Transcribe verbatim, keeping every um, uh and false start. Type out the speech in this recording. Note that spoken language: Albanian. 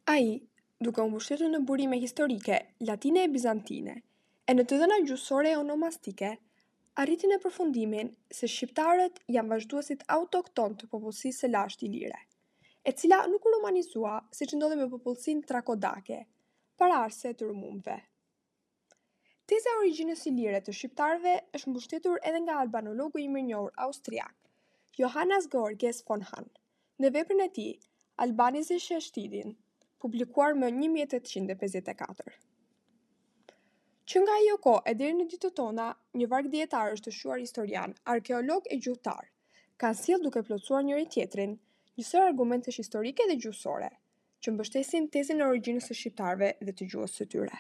Ai, duke u mbështetur në burime historike latine e bizantine, e në të dhëna gjuhësore e onomastike, arriti në përfundimin se shqiptarët janë vazhduesit autoktonë të popullsisë së lashtë ilire, e cila nuk u romanizua siç ndodhi me popullsinë trako-dake, paraardhëse të rumunëve. Teza e origjinës ilire të shqiptarëve është mbështetur edhe nga albanologu i mirënjohur austriak, Johannes Georges von Hahn, në veprën e tij Albanische Studien, publikuar më një mijë e tetëqind e pesëdhjetë e katër. Që nga ajo kohë e deri në ditët tona, një varg dijetarësh të shquar historianë, arkeologë e gjuhëtarë kanë sjellë duke plotësuar njëri-tjetrin një sërë argumentesh historike dhe gjuhësore, që mbështesin tezën e origjinës së shqiptarëve dhe të gjuhës së tyre.